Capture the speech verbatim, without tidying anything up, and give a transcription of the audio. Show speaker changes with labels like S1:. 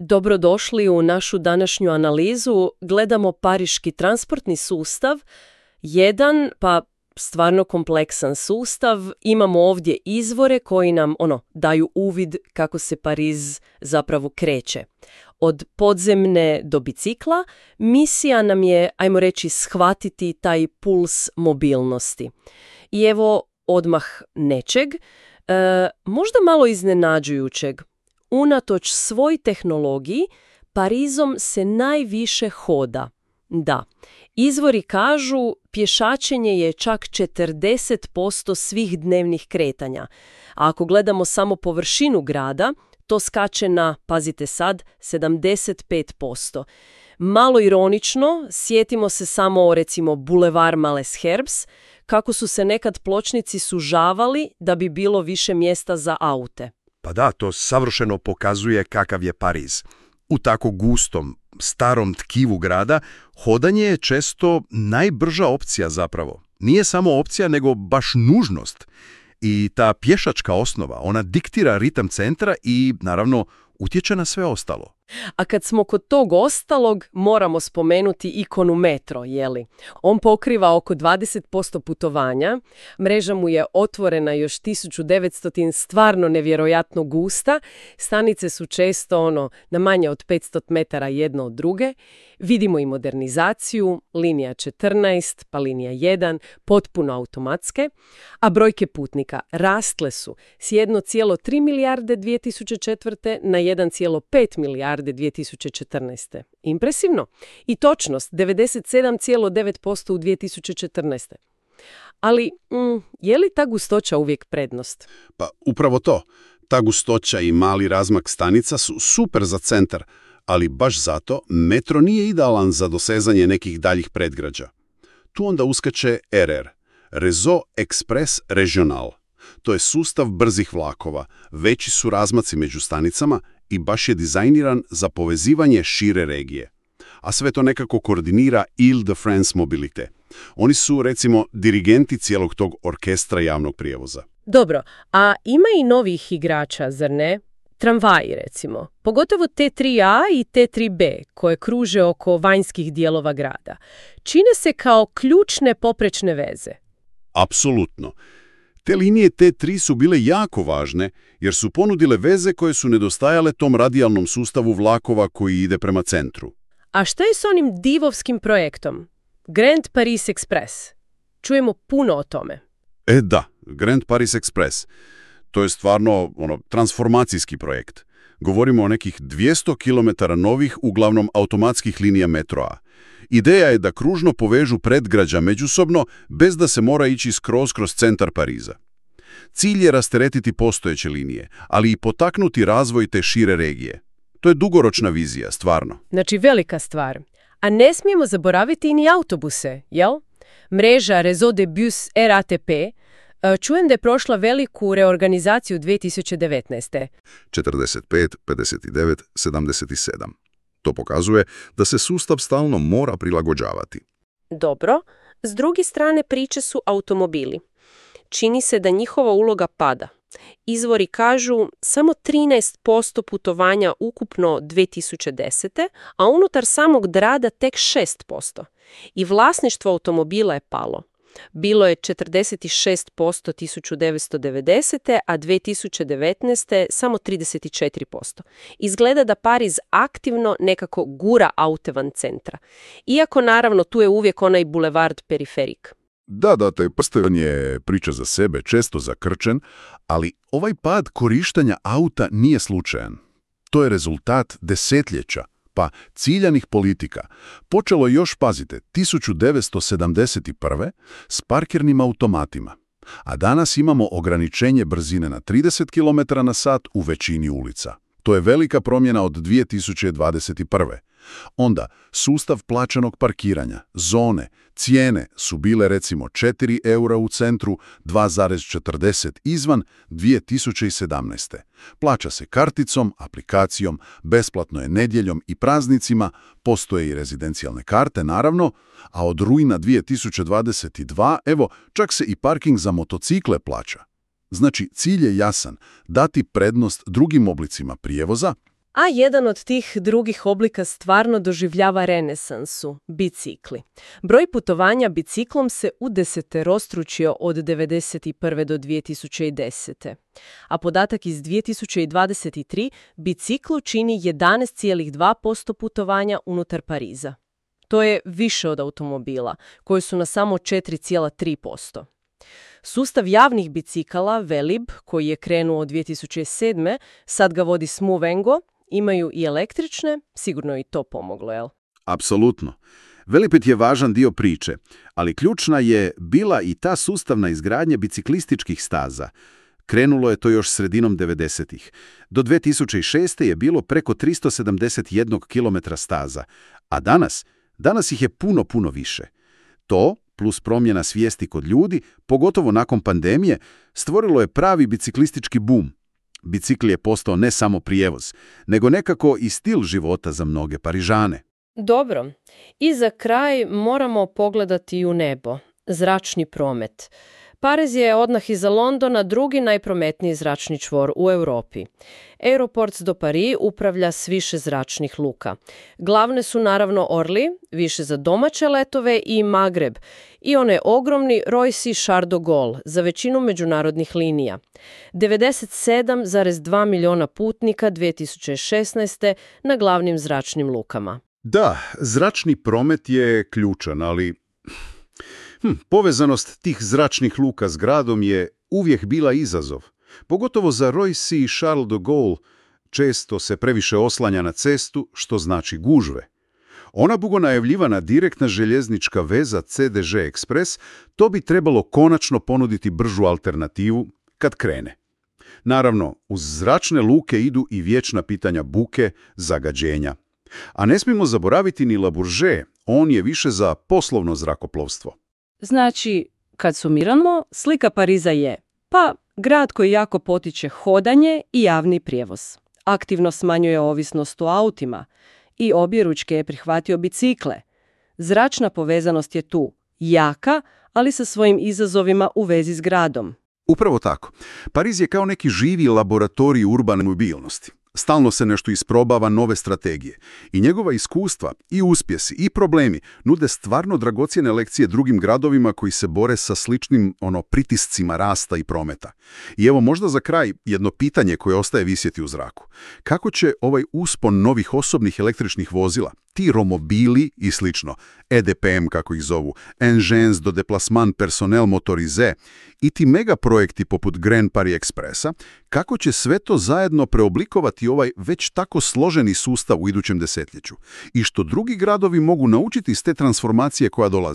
S1: Dobrodošli u našu današnju analizu. Gledamo pariški transportni sustav. Jedan, pa stvarno kompleksan sustav. Imamo ovdje izvore koji nam ono daju uvid kako se Pariz zapravo kreće. Od podzemne do bicikla misija nam je, ajmo reći, shvatiti taj puls mobilnosti. I evo odmah nečeg, e, možda malo iznenađujućeg. Unatoč svoj tehnologiji, Parizom se najviše hoda. Da, izvori kažu pješačenje je čak četrdeset posto svih dnevnih kretanja. A ako gledamo samo površinu grada, to skače na, pazite sad, sedamdeset pet posto. Malo ironično, sjetimo se samo o recimo Boulevard Malesherbes, kako su se nekad pločnici sužavali da bi bilo više mjesta za aute.
S2: Pa da, to savršeno pokazuje kakav je Pariz. U tako gustom, starom tkivu grada, hodanje je često najbrža opcija zapravo. Nije samo opcija, nego baš nužnost. I ta pješačka osnova, ona diktira ritam centra i, naravno, utječe na sve ostalo.
S1: A kad smo kod tog ostalog, moramo spomenuti ikonu metro, jeli? On pokriva oko dvadeset posto putovanja, mreža mu je otvorena još tisuću devetsto, stvarno nevjerojatno gusta, stanice su često ono na manje od petsto metara jedno od druge, vidimo i modernizaciju, linija četrnaest, pa linija jedan, potpuno automatske, a brojke putnika rastle su s jedan zarez tri milijarde dvije tisuće četvrte na jedan zarez pet milijarde dvije tisuće četrnaeste. Impresivno. I točnost devedeset sedam zarez devet posto u dvije tisuće četrnaeste. Ali, mm, je li ta gustoća uvijek prednost?
S3: Pa upravo to. Ta gustoća i mali razmak stanica su super za centar, ali baš zato metro nije idealan za dosezanje nekih daljih predgrađa. Tu onda uskače R R, Réseau Express Régional. To je sustav brzih vlakova, veći su razmaci među stanicama i baš je dizajniran za povezivanje šire regije. A sve to nekako koordinira Île-de-France Mobilité. Oni su, recimo, dirigenti cijelog tog orkestra javnog prijevoza.
S1: Dobro, a ima i novih igrača, zar ne? Tramvaji, recimo. Pogotovo T tri A i T tri B, koje kruže oko vanjskih dijelova grada. Čine se kao ključne poprečne veze.
S3: Apsolutno. Te linije T tri su bile jako važne jer su ponudile veze koje su nedostajale tom radijalnom sustavu vlakova koji ide prema centru.
S1: A šta je s onim divovskim projektom? Grand Paris Express. Čujemo puno o tome.
S3: E da, Grand Paris Express. To je stvarno ono, transformacijski projekt. Govorimo o nekih dvjesto kilometara novih, uglavnom automatskih linija metroa. Ideja je da kružno povežu predgrađa međusobno bez da se mora ići skroz kroz centar Pariza. Cilj je rasteretiti postojeće linije, ali i potaknuti razvoj te šire regije. To je dugoročna vizija, stvarno.
S1: Znači velika stvar. A ne smijemo zaboraviti ni autobuse, jel? Mreža Réseau de Bus R A T P čujem da je prošla veliku reorganizaciju dvije tisuće devetnaeste.
S4: četrdeset pet, pedeset devet, sedamdeset sedam. To pokazuje da se sustav stalno mora prilagođavati.
S1: Dobro, s druge strane priče su automobili. Čini se da njihova uloga pada. Izvori kažu samo trinaest posto putovanja ukupno dvije tisuće desete, a unutar samog grada tek šest posto. I vlasništvo automobila je palo. Bilo je četrdeset šest posto tisuću devetsto devedesete. a dvije tisuće devetnaeste. samo trideset četiri posto. Izgleda da Pariz aktivno nekako gura aute van centra. Iako naravno tu je uvijek onaj bulevard periferik.
S4: Da, da, taj prsten je priča za sebe, često zakrčen, ali ovaj pad korištenja auta nije slučajan. To je rezultat desetljeća, pa ciljanih politika. Počelo je još, pazite, tisuću devetsto sedamdeset prve. s parkirnim automatima, a danas imamo ograničenje brzine na trideset kilometara na sat u većini ulica. To je velika promjena od dvije tisuće dvadeset prve. Onda, sustav plaćenog parkiranja, zone, cijene su bile recimo četiri eura u centru, dva zarez četrdeset izvan dvije tisuće sedamnaeste. Plaća se karticom, aplikacijom, besplatno je nedjeljom i praznicima, postoje i rezidencijalne karte naravno, a od rujna dvije tisuće dvadeset druge. evo, čak se i parking za motocikle plaća. Znači, cilj je jasan, dati prednost drugim oblicima prijevoza.
S1: A jedan od tih drugih oblika stvarno doživljava renesansu – bicikli. Broj putovanja biciklom se udeseterostručio od devedeset prve do dvije tisuće desete. A podatak iz dvije tisuće dvadeset tri biciklu čini jedanaest zarez dva posto putovanja unutar Pariza. To je više od automobila, koji su na samo četiri zarez tri posto. Sustav javnih bicikala Velib, koji je krenuo od dvije tisuće sedme, sad ga vodi Smovengo, imaju i električne, sigurno je i to pomoglo, jel?
S4: Apsolutno. Velipet je važan dio priče, ali ključna je bila i ta sustavna izgradnja biciklističkih staza. Krenulo je to još sredinom devedesetih. Do dvije tisuće šeste je bilo preko tristo sedamdeset jedan kilometra staza, a danas, danas ih je puno, puno više. To, plus promjena svijesti kod ljudi, pogotovo nakon pandemije, stvorilo je pravi biciklistički bum. Bicikl je postao ne samo prijevoz, nego nekako i stil života za mnoge Parižane.
S1: Dobro. I za kraj moramo pogledati u nebo. Zračni promet. Pariz je odmah iza Londona drugi najprometniji zračni čvor u Europi. Aeroports do Paris upravlja s više zračnih luka. Glavne su naravno Orly, više za domaće letove, i Magreb, i onaj ogromni Roissy Charles de Gaulle za većinu međunarodnih linija. devedeset sedam zarez dva milijuna putnika dvije tisuće šesnaeste na glavnim zračnim lukama.
S3: Da, zračni promet je ključan, ali hm, povezanost tih zračnih luka s gradom je uvijek bila izazov. Pogotovo za Roissy Charles de Gaulle često se previše oslanja na cestu, što znači gužve. Ona dugo najavljivana direktna željeznička veza C D G Express, to bi trebalo konačno ponuditi bržu alternativu kad krene. Naravno, uz zračne luke idu i vječna pitanja buke, zagađenja. A ne smijemo zaboraviti ni Le Bourget, on je više za poslovno zrakoplovstvo.
S5: Znači, kad sumiramo, slika Pariza je, pa, grad koji jako potiče hodanje i javni prijevoz. Aktivno smanjuje ovisnost o autima i objeručke je prihvatio bicikle. Zračna povezanost je tu, jaka, ali sa svojim izazovima u vezi s gradom.
S3: Upravo tako. Pariz je kao neki živi laboratorij urbane mobilnosti. Stalno se nešto isprobava, nove strategije. I njegova iskustva, i uspjesi, i problemi nude stvarno dragocjene lekcije drugim gradovima koji se bore sa sličnim ono pritiscima rasta i prometa. I evo možda za kraj jedno pitanje koje ostaje visjeti u zraku. Kako će ovaj uspon novih osobnih električnih vozila, ti romobili i slično, E D P M kako ih zovu, Engins de déplacement personnel motorisé i ti megaprojekti poput Grand Paris Expressa, kako će sve to zajedno preoblikovati ovaj već tako složeni sustav u idućem desetljeću i što drugi gradovi mogu naučiti iz te transformacije koja dolazi.